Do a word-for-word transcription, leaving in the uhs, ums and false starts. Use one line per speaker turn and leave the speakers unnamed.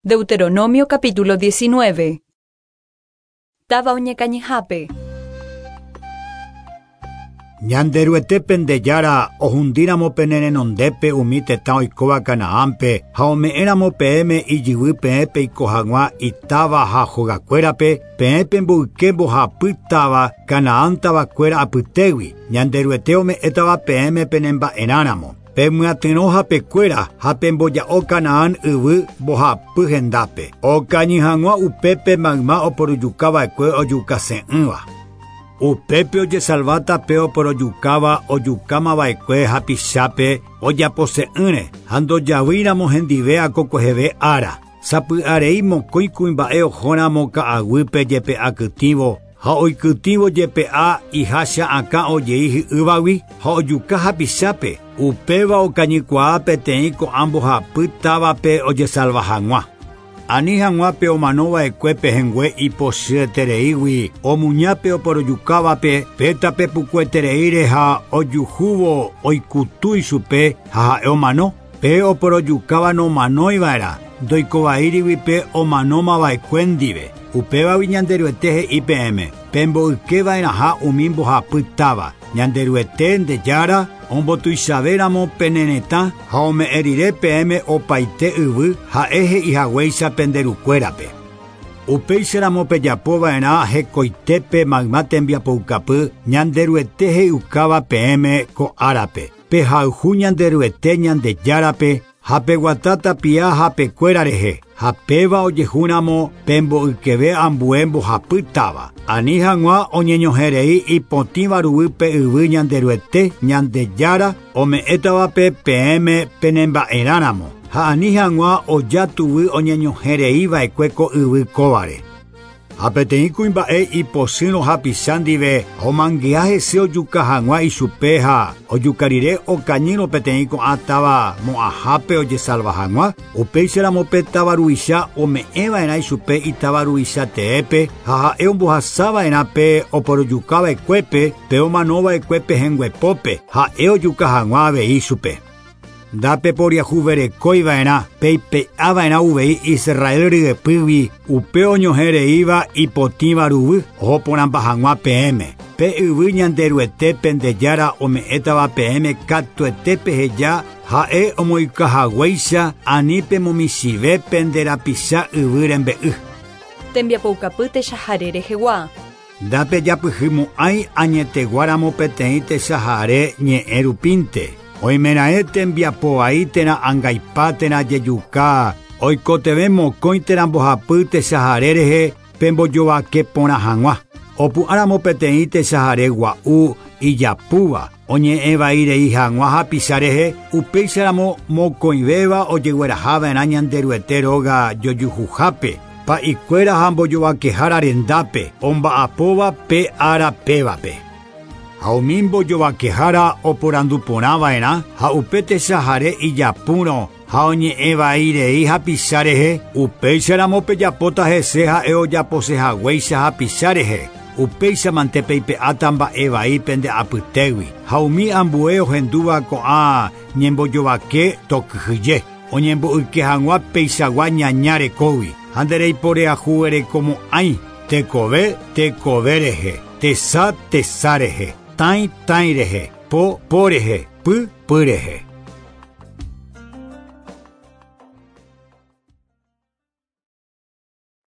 Deuteronomio capítulo diecinueve. Táva oñekañyhápe.
Ñanderuete pendejára ohundíramo pene renondépe umi tetã oikóva Canaánpe ha ome'ẽramo peẽme ijyvy peẽ peiko hag̃ua itáva ha hogakuérape peẽ pemboyke mbohapy táva Canaán tavakuéra apytégui Ñanderuete ome'ẽtava peẽme penemba'erãramo pemyatyrõ hapekuéra ha pemboja'o Canaán yvy mbohapy hendápe okañy hag̃ua upépe mayma oporojukava'ekue ojukase'ỹva. Upépe ojesalváta pe oporojukáva ojukámava'ekue hapichápe ojapose'ỹre ha ndojavýiramo hendive akokueheve ára. Sapy'arei mokõi kuimba'e ohóramo ka'aguýpe jepe'akytĩvo ha oikytĩvo jepe'a ihácha akã ojei hi'ývagui ha ojuka hapichápe upéva okañykuaa peteĩ ko'ã mbohapy távape ojesalva hag̃ua. Ani hag̃ua pe omanova'ekue pehẽngue ipochyetereígui omuñápe oporojukávape pe tape pukuetereíre ha ojuhúvo oikutu ichupe ha ha'e omano pe oporojukáva nomanóiva'erã ndoikovaírigui pe omanómava'ekue ndive upévagui Ñanderuete he'i peẽme pemboykeva'erãha umi mbohapy táva Ñanderuete ndejára ombotuichavéramo pene retã ha ome'ẽ rire peẽme opaite yvy ha'e he'ihaguéicha penderukuérape. Upéicharamo pejapova'erã hekoitépe mayma tembiapoukapy Ñanderuete he'iukáva peẽme ko árape. Pehayhu Ñanderuete Ñandejárape ha peguata tapia hapekuéra rehe ha péva ojehúramo pemboykeve ambue mbohapy táva. Ani hag̃ua oñeñohẽrei ipotĩva ruguýpe yvy Ñanderuete Ñandejára ome'ẽtavape peẽme penemba'erãramo ha ani hag̃ua oja tuvy oñeñohẽreiva'ekue ko yvy kóvare. Ha peteĩ kuimba'e ipochýrõ hapicha ndive omangea hese ojuka hag̃ua ichupe ha ojuka rire okañýrõ peteĩ ko'ã táva mo'ãhápe ojesalva hag̃ua upéicharamo pe táva ruvicha ome'ẽva'erã ichupe itáva ruvicha teépe ha ha'e ombohasava'erã pe oporojukava'ekuépe pe omanova'ekue pehẽnguepópe ha'e ojuka hag̃ua avei ichupe. Ndapeporiahuverekóiva'erã peipe'ava'erã uvei Israel ryepýgui upe oñohẽreíva ipotĩva ruvy ohoporãmba hag̃ua peẽme. Pe yvy Ñanderuete pendejára ome'ẽtava peẽme katuete peheja ha'e omoikahaguéicha ani pemomichĩve pende rapicha yvy rembe'y.
Tembiapoukapy techahare rehegua.
Ndapejapyhymo'ãi añeteguáramo peteĩ techahare ñe'ẽ rupínte. Oimeraẽ tembiapovai térã angaipa térã jejuka oikotevẽ mokõi térã mbohapy techahare rehe pembojovake porã hag̃ua. Opu'ãramo peteĩ techahare gua'u ijapúva oñe'ẽvairei hag̃ua hapicha rehe upéicharamo mokõivéva ojeguerahava'erã Ñanderuete róga jojuhuhápe pa'ikuéra ha mbojovakehára rendápe omba'apóva pe ára pévape. Ha umi mbojovakehára oporanduporãva'erã ha upe techahare ijapúrõ ha oñe'ẽvairei hapicha rehe upéicharamo pejapóta hese ha'e ojaposehaguéicha hapicha rehe upéichamante peipe'áta mba'evai pende apytégui ha umi ambue ohendúva ko'ã ñembojovake tokyhyje oñemboyke hag̃ua peichagua ñaña rekógui ha ndereiporeahuverekomo'ãi tekove tekove rehe tesa tesa rehe tãi tãi rehe po po rehe py py rehe.